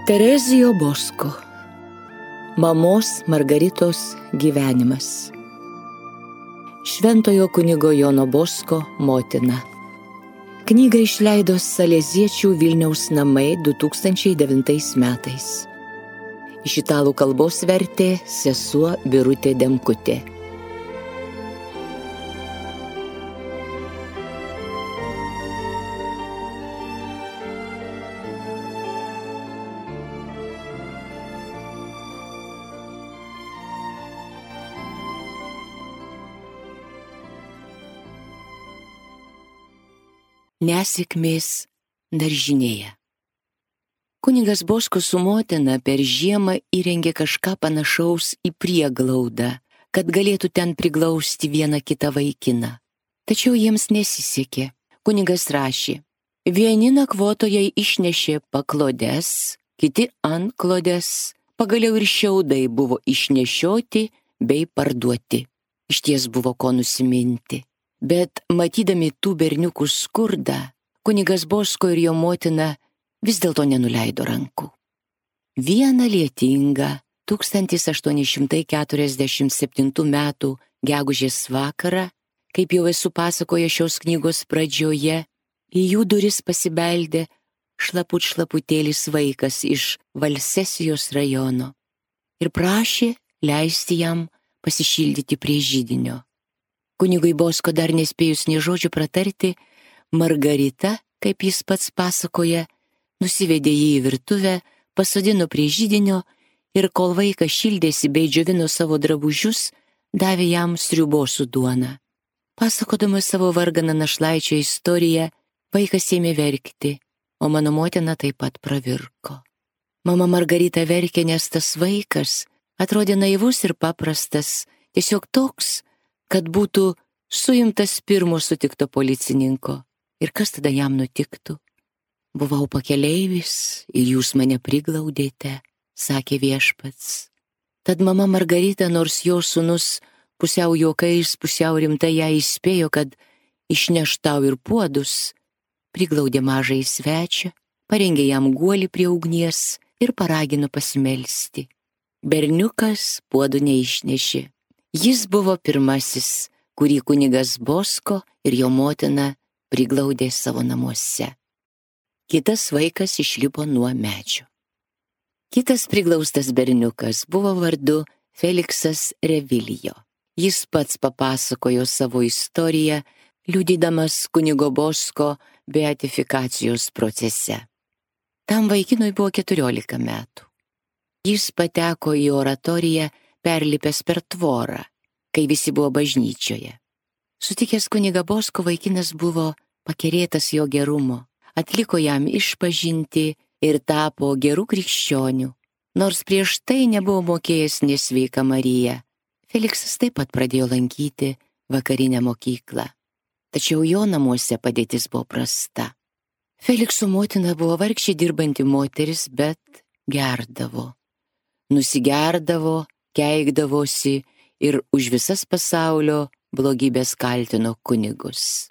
Terezijo Bosko. Mamos Margaritos gyvenimas. Šventojo kunigo Jono Bosko motina. Knygą išleido Saleziečių Vilniaus namai 2009 metais. Iš italų kalbos vertė sesuo Birutė Demkutė. Nesėkmės daržinėje. Kunigas Bosko su motina per žiemą įrengė kažką panašaus į prieglaudą, kad galėtų ten priglausti vieną kitą vaikiną. Tačiau jiems nesisekė. Kunigas rašė: vieni nakvotojai išnešė paklodes, kiti antklodes, pagaliau ir šiaudai buvo išnešioti bei parduoti. Išties buvo ko nusiminti. Bet matydami tų berniukų skurdą, kunigas Bosko ir jo motina vis dėlto nenuleido rankų. Vieną lietingą 1847 metų gegužės vakarą, kaip jau esu pasakoję šios knygos pradžioje, į jų duris pasibeldė šlaputėlis vaikas iš Valsesijos rajono ir prašė leisti jam pasišildyti prie židinio. Kunigui Bosko dar nespėjus nė žodžių pratarti, Margarita, kaip jis pats pasakoja, nusivedė jį į virtuvę, pasodino prie židinio ir kol vaikas šildėsi bei džiovino savo drabužius, davė jam sriubos su duona. Pasakodamas savo varganą našlaičio istoriją, vaikas ėmė verkti, o mano motina taip pat pravirko. Mama Margarita verkė, nes tas vaikas atrodė naivus ir paprastas, tiesiog toks, kad būtų suimtas pirmo sutikto policininko. Ir kas tada jam nutiktų? Buvau pakeleivis ir jūs mane priglaudėte, sakė viešpats. Tad mama Margarita, nors jo sūnus pusiau juokais, pusiau rimtai ją įspėjo, kad išneš tau ir puodus, priglaudė mažąjį svečią, parengė jam guolį prie ugnies ir paragino pasimelsti. Berniukas puodų neišnešė. Jis buvo pirmasis, kurį kunigas Bosko ir jo motina priglaudė savo namuose. Kitas vaikas išlipo nuo medžio. Kitas priglaustas berniukas buvo vardu Feliksas Revilijo. Jis pats papasakojo savo istoriją, liudydamas kunigo Bosko beatifikacijos procese. Tam vaikinui buvo 14 metų. Jis pateko į oratoriją perlipęs per tvorą, kai visi buvo bažnyčioje. Sutikęs kunigą Bosko, vaikinas buvo pakerėtas jo gerumo, atliko jam išpažintį ir tapo gerų krikščionių, nors prieš tai nebuvo mokėjęs nesveiką Mariją. Feliksas taip pat pradėjo lankyti vakarinę mokyklą, tačiau jo namuose padėtis buvo prasta. Felikso motina buvo vargšė dirbanti moteris, bet gerdavo, nusigerdavo, keikdavosi ir už visas pasaulio blogybės kaltino kunigus.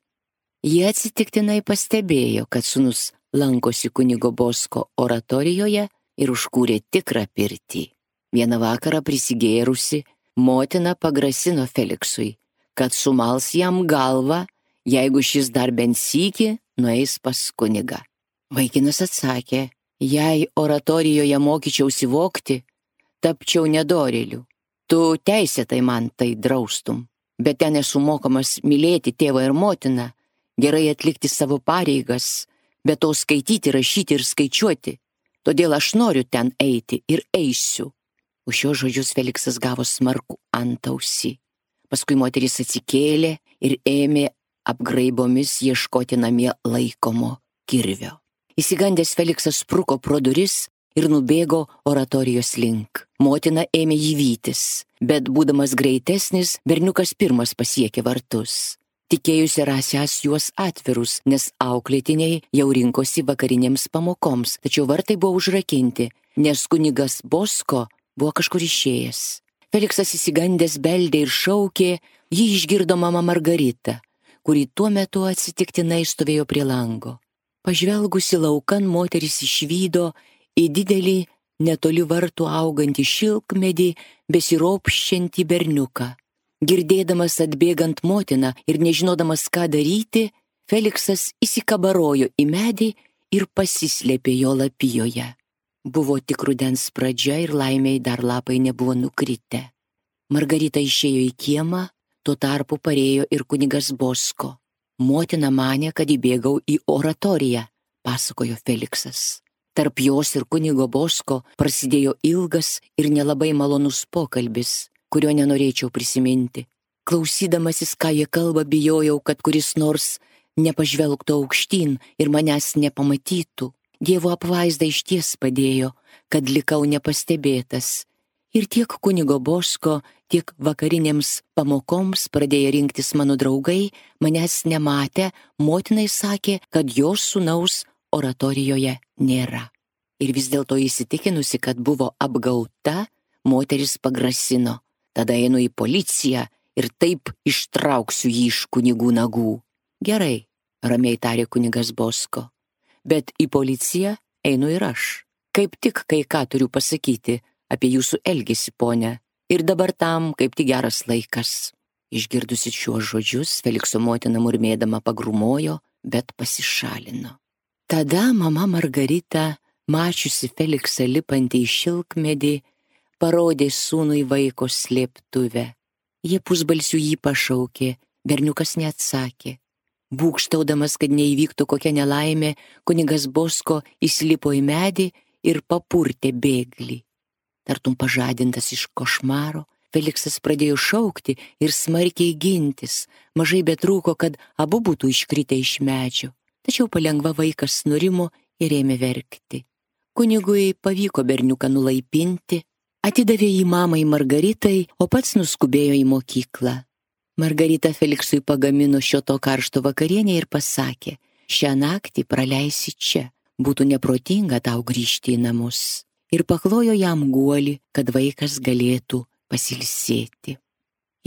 Jie atsitiktinai pastebėjo, kad sūnus lankosi kunigo Bosko oratorijoje ir užkūrė tikrą pirtį. Vieną vakarą prisigėrusi, motina pagrasino Feliksui, kad sumals jam galvą, jeigu šis dar bent sykį nueis pas kunigą. Vaikinas atsakė: jei oratorijoje mokyčiausi vogti, tapčiau nedorėliu. Tu teisėtai man tai draustum, bet ten esu mokomas mylėti tėvą ir motiną, gerai atlikti savo pareigas, bet to skaityti, rašyti ir skaičiuoti. Todėl aš noriu ten eiti ir eisiu. Už šios žodžius Feliksas gavo smarkų antausį. Paskui moteris atsikėlė ir ėmė apgraibomis ieškoti namie laikomo kirvio. Išsigandęs Feliksas spruko pro duris ir nubėgo oratorijos link. Motina ėmė jį vytis, bet būdamas greitesnis, berniukas pirmas pasiekė vartus. Tikėjusi rasiąs juos atvirus, nes auklėtiniai jau rinkosi vakarinėms pamokoms, tačiau vartai buvo užrakinti, nes kunigas Bosko buvo kažkur išėjęs. Feliksas išsigandęs beldė ir šaukė, jį išgirdo mama Margarita, kuri tuo metu atsitiktinai stovėjo prie lango. Pažvelgusi laukan, moteris išvydo į didelį netoli vartų augantį šilkmedį besiropščiantį berniuką. Girdėdamas atbėgant motiną ir nežinodamas, ką daryti, Feliksas įsikabarojo į medį ir pasislėpė jo lapijoje. Buvo tik rudens pradžia ir laimiai dar lapai nebuvo nukritę. Margarita išėjo į kiemą, tuo tarpu parėjo ir kunigas Bosko. Motina manė, kad įbėgau į oratoriją, pasakojo Feliksas. Tarp jos ir kunigo Bosko prasidėjo ilgas ir nelabai malonus pokalbis, kurio nenorėčiau prisiminti. Klausydamasis, ką jie kalba, bijojau, kad kuris nors nepažvelgtų aukštyn ir manęs nepamatytų. Dievo apvaizda išties padėjo, kad likau nepastebėtas. Ir tiek kunigo Bosko, tiek vakarinėms pamokoms pradėję rinktis mano draugai, manęs nematę, motinai sakė, kad jos sūnaus oratorijoje nėra. Ir vis dėlto įsitikinusi, kad buvo apgauta, moteris pagrasino. Tada einu į policiją ir taip ištrauksiu jį iš kunigų nagų. Gerai, ramiai tarė kunigas Bosko, bet į policiją einu ir aš. Kaip tik kai ką turiu pasakyti apie jūsų elgesį, ponia, ir dabar tam kaip tik geras laikas. Išgirdusi šiuos žodžius, Felikso motina murmėdama pagrumojo, bet pasišalino. Tada mama Margarita, mačiusi Feliksą lipantį į šilkmedį, parodė sūnui vaiko slėptuvę. Jie pusbalsiu jį pašaukė, berniukas neatsakė. Būgštaudamas, kad neįvyktų kokia nelaimė, kunigas Bosko įsilipo į medį ir papurtė bėglį. Tartum pažadintas iš košmaro, Feliksas pradėjo šaukti ir smarkiai gintis. Mažai betrūko, kad abu būtų iškritę iš medžio. Tačiau palengva vaikas nurimo ir ėmė verkti. Kunigui pavyko berniuką nulaipinti, atidavė jį mamai Margaritai, o pats nuskubėjo į mokyklą. Margarita Feliksui pagamino šio to karšto vakarienę ir pasakė, šią naktį praleisi čia, būtų neprotinga tau grįžti į namus. Ir paklojo jam guolį, kad vaikas galėtų pasilsėti.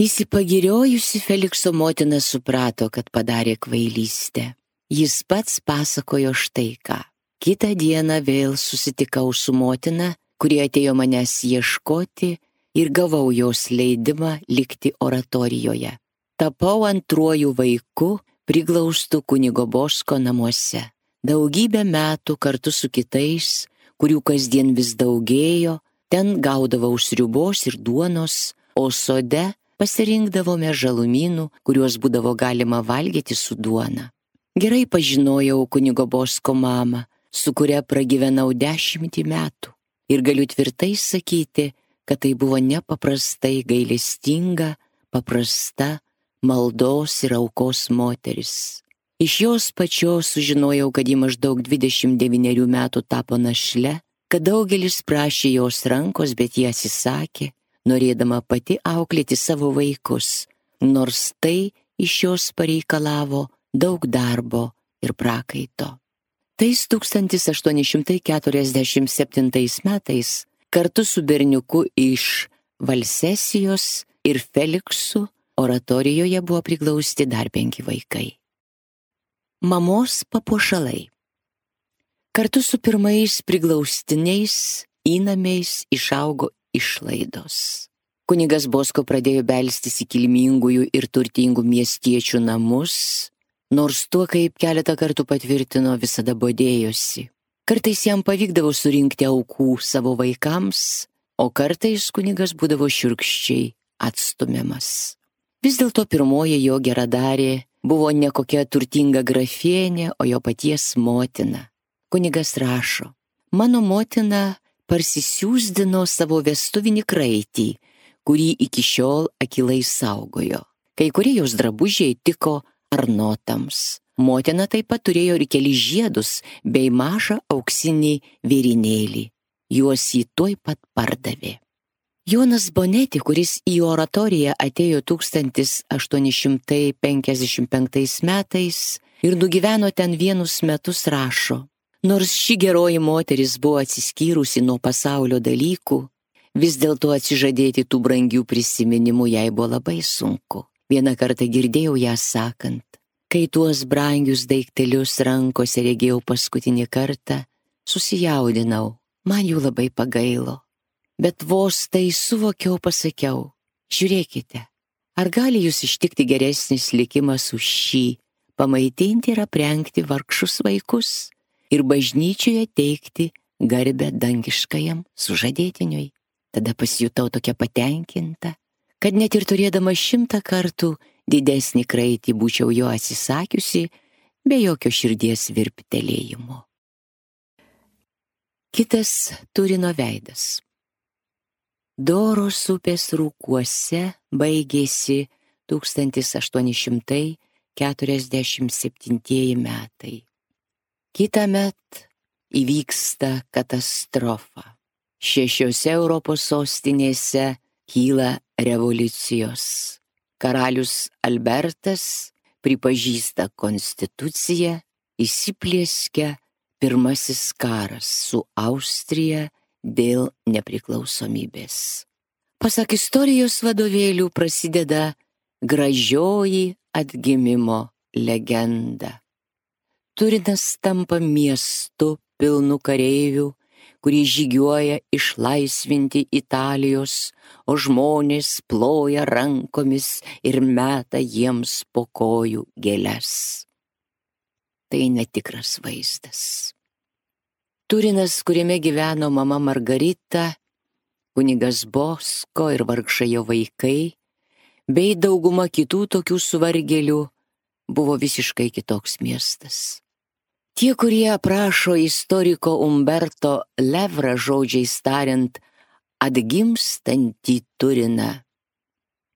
Įsipagiriojusi Felikso motina suprato, kad padarė kvailystę. Jis pats pasakojo štai ką. Kitą dieną vėl susitikau su motina, kuri atėjo manęs ieškoti, ir gavau jos leidimą likti oratorijoje. Tapau antruoju vaiku, priglaustų kunigo Bosko namuose. Daugybę metų kartu su kitais, kurių kasdien vis daugėjo, ten gaudavau sriubos ir duonos, o sode pasirinkdavome žalumynų, kuriuos būdavo galima valgyti su duona. Gerai pažinojau kunigo Bosko mamą, su kuria pragyvenau 10 metų. Ir galiu tvirtai sakyti, kad tai buvo nepaprastai gailestinga, paprasta, maldos ir aukos moteris. Iš jos pačios sužinojau, kad ji maždaug 29 metų tapo našle, kad daugelis prašė jos rankos, bet ji atsisakė, norėdama pati auklėti savo vaikus, nors tai iš jos pareikalavo daug darbo ir prakaito. Tais 1847 metais kartu su berniuku iš Valsesijos ir Feliksu oratorijoje buvo priglausti dar 5 vaikai. Mamos papuošalai. Kartu su pirmais priglaustiniais įnamiais išaugo išlaidos. Kunigas Bosko pradėjo belstis į kilmingųjų ir turtingų miestiečių namus, nors tuo, kaip keletą kartų patvirtino, visada bodėjosi. Kartais jam pavykdavo surinkti aukų savo vaikams, o kartais kunigas būdavo šiurkščiai atstumiamas. Vis dėlto pirmoji jo geradarė buvo ne kokia turtinga grafienė, o jo paties motina. Kunigas rašo, mano motina parsisiųsdino savo vestuvinį kraitį, kurį iki šiol akylai saugojo. Kai kurie jos drabužiai tiko arnotams. Motina taip pat turėjo ir kelis žiedus bei mažą auksinį vėrinėlį. Juos jį tuoj pat pardavė. Jonas Boneti, kuris į oratoriją atėjo 1855 metais ir nugyveno ten vienus metus, rašo, nors ši geroji moteris buvo atsiskyrusi nuo pasaulio dalykų, vis dėlto atsižadėti tų brangių prisiminimų jai buvo labai sunku. Vieną kartą girdėjau ją sakant, kai tuos brangius daiktelius rankose regėjau paskutinį kartą, susijaudinau, Man jų labai pagailo, bet vos tai suvokiau, pasakiau, žiūrėkite, ar gali jūs ištikti geresnis likimas už šį, pamaitinti ir aprengti vargšus vaikus ir bažnyčioje teikti garbę dangiškajam sužadėtiniui. Tada pasijutau tokia patenkinta, kad net ir turėdama 100 kartų didesnį kraitį būčiau jo atsisakiusi be jokio širdies virptelėjimo. Kitas Turino veidas. Doros upės rūkuose baigėsi 1847 metai. Kitąmet įvyksta katastrofa. 6 Europos sostinėse kyla revoliucijos. Karalius Albertas pripažįsta konstituciją, įsiplieskia pirmasis karas su Austrija dėl nepriklausomybės. Pasak istorijos vadovėlių prasideda gražioji atgimimo legenda. Turinas tampa miestu pilnu kareivių, kurie žygiuoja išlaisvinti Italijos, o žmonės ploja rankomis ir meta jiems po kojų gėles. Tai netikras vaizdas. Turinas, kuriame gyveno mama Margarita, kunigas Bosko ir vargšai jo vaikai, bei dauguma kitų tokių suvargėlių, buvo visiškai kitoks miestas. Tie, kurie aprašo istoriko Umberto Levrą žodžiais tariant atgimstantį Turiną,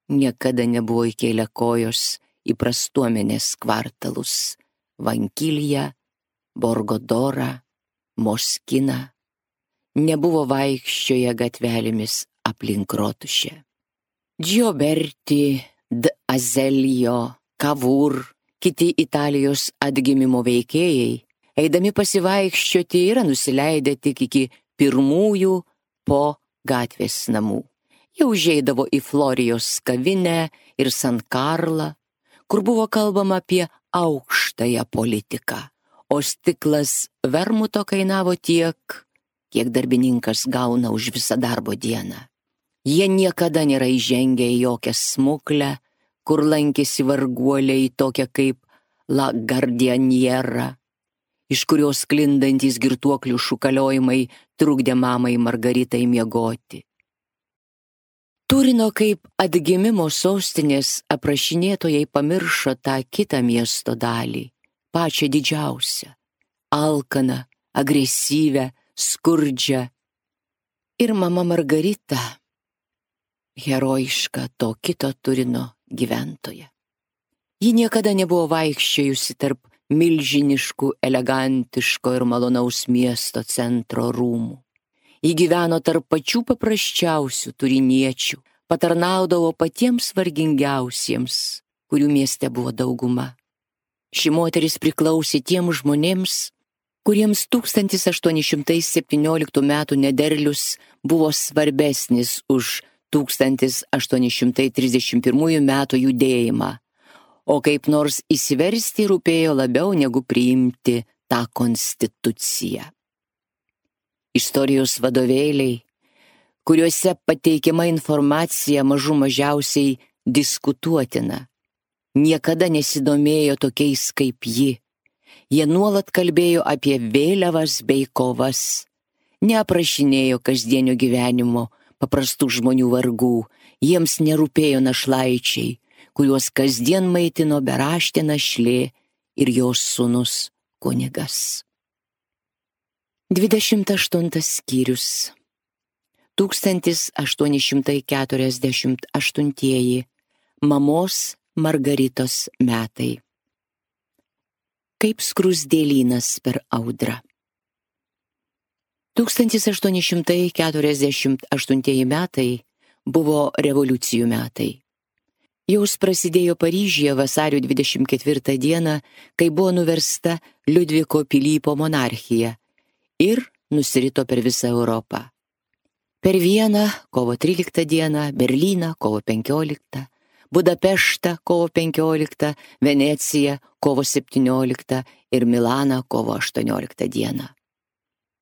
niekada nebuvo įkėlę kojos į prastuomenės kvartalus Vankiliją, Borgodorą, Moskiną, nebuvo vaikščioję gatvelėmis aplink rotušę. Gioberti, d'Azeglio, Cavour, kiti Italijos atgimimo veikėjai, eidami pasivaikščioti, yra nusileidę tik iki pirmųjų po gatvės namų. Jau užeidavo į Florijos kavinę ir San Karlą, kur buvo kalbama apie aukštąją politiką, o stiklas vermuto kainavo tiek, kiek darbininkas gauna už visą darbo dieną. Jie niekada nėra įžengę į jokią smuklę, kur lankėsi varguoliai tokia kaip La Gardianiera, iš kurios sklindantys girtuoklių šūkaliojimai trukdė mamai Margaritai miegoti. Turino kaip atgimimo sostinės aprašinėtojai pamiršo tą kitą miesto dalį, pačią didžiausią, alkaną, agresyvę, skurdžią. Ir mama Margarita, herojiška to kito Turino gyventoja. Ji niekada nebuvo vaikščiojusi tarp milžiniškų, elegantiško ir malonaus miesto centro rūmų. Ji gyveno tarp pačių paprasčiausių turiniečių, patarnaudavo patiems vargingiausiems, kurių mieste buvo dauguma. Ši moteris priklausė tiems žmonėms, kuriems 1817 metų nederlius buvo svarbesnis už 1831 metų judėjimą, o kaip nors įsiversti rūpėjo labiau negu priimti tą konstituciją. Istorijos vadovėliai, kuriuose pateikiama informacija mažų mažiausiai diskutuotina, niekada nesidomėjo tokiais kaip ji. Jie nuolat kalbėjo apie vėliavas bei kovas, neaprašinėjo kasdienio gyvenimo, paprastų žmonių vargų, jiems nerūpėjo našlaičiai, kuriuos kasdien maitino beraštė našlė ir jos sūnus kunigas. 28 skyrius. 1848 mamos Margaritos metai. Kaip skruzdėlynas per audrą. 1848 metai buvo revoliucijų metai. Jos prasidėjo Paryžiuje vasario 24 dieną, kai buvo nuversta Liudviko Pilypo monarchija ir nusirito per visą Europą. Per Vieną kovo 13 dieną, Berlyną kovo 15, Budapeštą kovo 15, Veneciją kovo 17 ir Milaną kovo 18 dieną.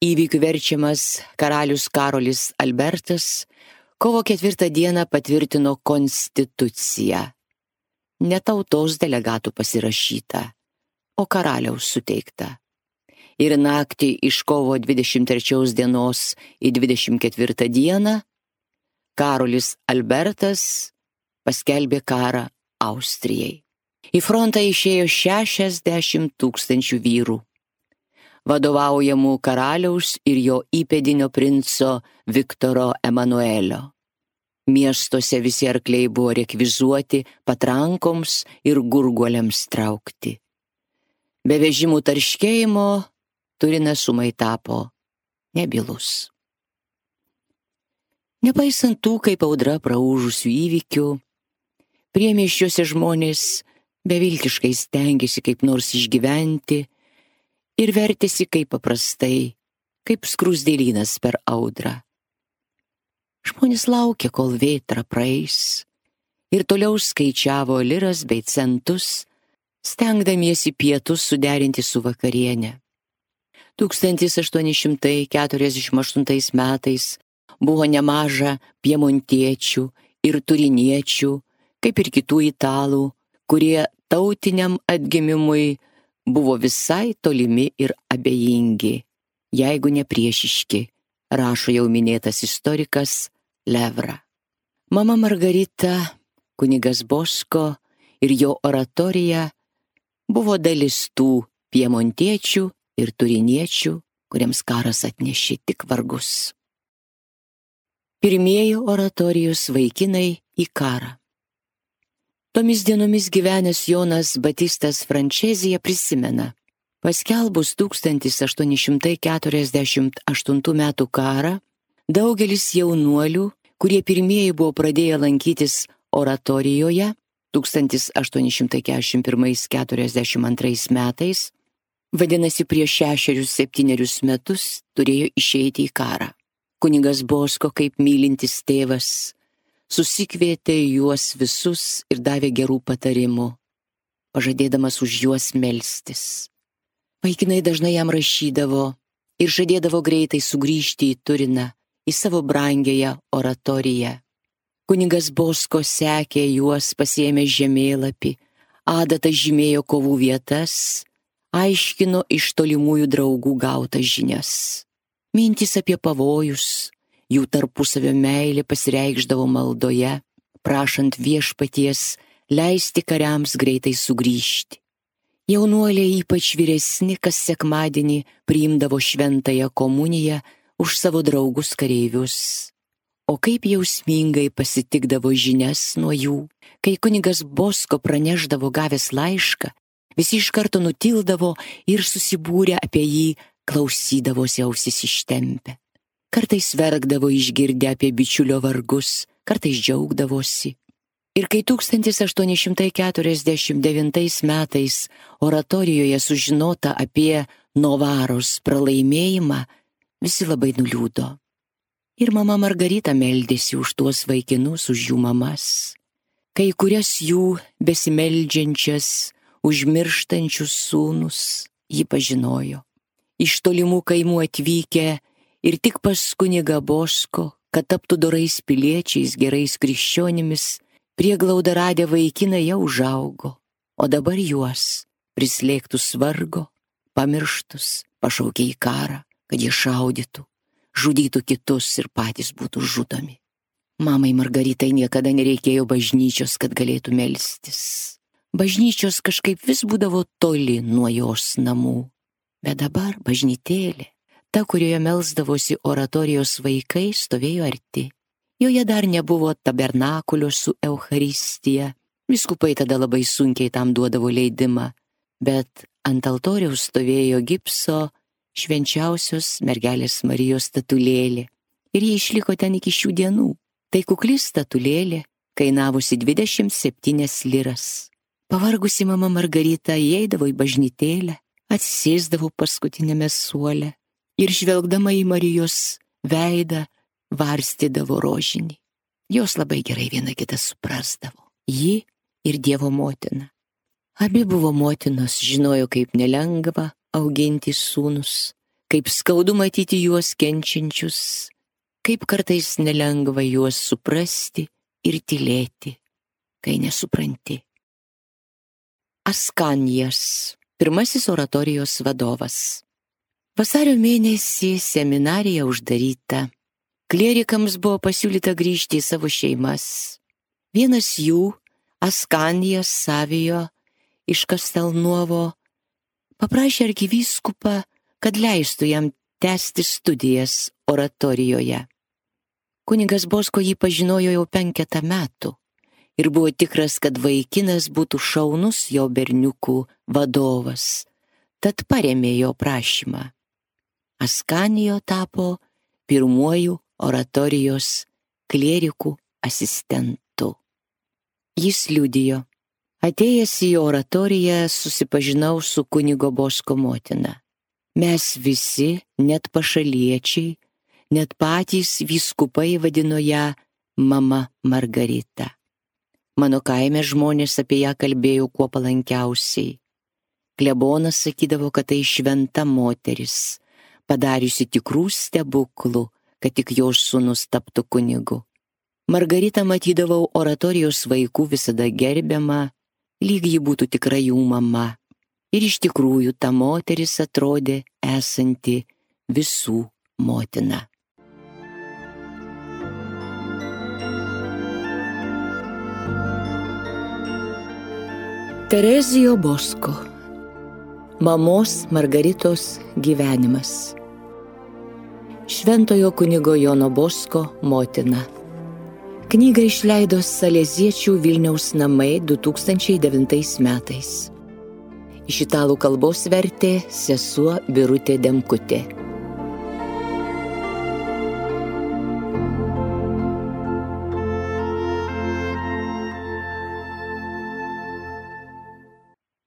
Įvykių verčiamas karalius Karolis Albertas kovo 4 dieną patvirtino konstituciją. Ne tautos delegatų pasirašyta, o karaliaus suteikta. Ir naktį iš kovo 23 dienos į 24 dieną Karolis Albertas paskelbė karą Austrijai. Į frontą išėjo 60 000 vyrų, vadovaujamų karaliaus ir jo įpėdinio princo Viktoro Emanuelio. Miestuose visi arkliai buvo rekvizuoti patrankoms ir gurguoliams traukti. Be vežimų tarškėjimo Turinas ūmai tapo nebylus. Nepaisant tų, kaip audra praūžusių įvykių, priemiesčiuose žmonės beviltiškai stengėsi kaip nors išgyventi ir vertėsi kaip paprastai, kaip skruzdėlynas per audrą. Žmonės laukė, kol vėtra praeis, ir toliau skaičiavo liras bei centus, stengdamiesi pietus suderinti su vakarienė. 1848 metais buvo nemaža piemontiečių ir turiniečių, kaip ir kitų italų, kurie tautiniam atgimimui buvo visai tolimi ir abejingi, jeigu ne priešiški, rašo jau minėtas istorikas Levra. Mama Margarita, kunigas Bosko ir jo oratorija buvo dalis tų piemontiečių ir turiniečių, kuriems karas atnešė tik vargus. Pirmieji oratorijos vaikinai į karą. Tomis dienomis gyvenęs Jonas Batistas Frančezija prisimena, paskelbus 1848 metų karą, daugelis jaunuolių, kurie pirmieji buvo pradėję lankytis oratorijoje 1841-42 metais, vadinasi prieš 6-7 metus, turėjo išeiti į karą. Kunigas Bosko, kaip mylintis tėvas, susikvietė juos visus ir davė gerų patarimų, pažadėdamas už juos melstis. Vaikinai dažnai jam rašydavo ir žadėdavo greitai sugrįžti į Turiną, į savo brangiąją oratoriją. Kunigas Bosko sekė juos, pasiėmė žemėlapį, adata žymėjo kovų vietas, aiškino iš tolimųjų draugų gautas žinias. Mintys apie pavojus, jų tarpusavio meilė pasireikšdavo maldoje, prašant viešpaties leisti kariams greitai sugrįžti. Jaunuoliai, ypač vyresni, kas sekmadienį priimdavo šventąją komuniją už savo draugus kareivius. O kaip jausmingai pasitikdavo žinias nuo jų, kai kunigas Bosko praneždavo gavęs laišką, visi iš karto nutildavo ir susibūrę apie jį klausydavosi ausis ištempę. Kartais verkdavo išgirdę apie bičiulio vargus, kartais džiaugdavosi. Ir kai 1849 metais oratorijoje sužinota apie Novaros pralaimėjimą, visi labai nuliūdo. Ir mama Margarita meldėsi už tuos vaikinus, už jų mamas. Kai kurias jų besimeldžiančias, užmirštančius sūnus ji pažinojo. Iš tolimų kaimų atvykę ir tik pas kunigą Bosko, kad taptų dorais piliečiais, gerais krikščionimis, prieglaudą radę vaikinai jau užaugo, o dabar juos, prislėgtus vargo, pamirštus, pašaukė į karą, kad jie šaudytų, žudytų kitus ir patys būtų žudomi. Mamai Margaritai niekada nereikėjo bažnyčios, kad galėtų melstis. Bažnyčios kažkaip vis būdavo toli nuo jos namų. Bet dabar bažnytėlė, ta, kurioje melsdavosi oratorijos vaikai, stovėjo arti. Joje dar nebuvo tabernakulio su Eucharistija. Vyskupai tada labai sunkiai tam duodavo leidimą, bet ant altoriaus stovėjo gipso švenčiausios mergelės Marijos statulėlė. Ir jie išliko ten iki šių dienų. Tai kukli statulėlė, kainavusi 27 liras. Pavargusi mama Margarita įeidavo į bažnytėlę, atsisėsdavo paskutinėme suole ir žvelgdama į Marijos veidą varstydavo rožinį. Jos labai gerai viena kitą suprasdavo. Ji ir Dievo motina. Abi buvo motinos, žinojo, kaip nelengva auginti sūnus, kaip skaudu matyti juos kenčiančius, kaip kartais nelengva juos suprasti ir tylėti, kai nesupranti. Askanijas, pirmasis oratorijos vadovas. Vasario mėnesį seminarija uždaryta. Klierikams buvo pasiūlyta grįžti į savo šeimas. Vienas jų, Askanijas Savijo iš Kastelnuovo, paprašė arkivyskupą, kad leistų jam tęsti studijas oratorijoje. Kunigas Bosko jį pažinojo jau 5 metų ir buvo tikras, kad vaikinas būtų šaunus jo berniukų vadovas, tad parėmė jo prašymą. Askanijo tapo pirmuoju oratorijos klierikų asistentu. Jis liudijo: atėjęs į oratoriją susipažinau su kunigo Bosko motina. Mes visi, net pašaliečiai, net patys vyskupai vadino ją mama Margarita. Mano kaime žmonės apie ją kalbėjo kuo palankiausiai. Klebonas sakydavo, kad tai šventa moteris, padariusi tikrų stebuklų, kad tik jos sūnus taptų kunigu. Margaritą matydavau oratorijos vaikų visada gerbiamą, lyg ji būtų tikra jų mama. Ir iš tikrųjų ta moteris atrodė esanti visų motina. Terezijo Bosko. Mamos Margaritos gyvenimas. Šventojo kunigo Jono Bosko motina. Knygą išleido Saleziečių Vilniaus namai 2009 metais. Iš italų kalbos vertė sesuo Birutė Demkutė.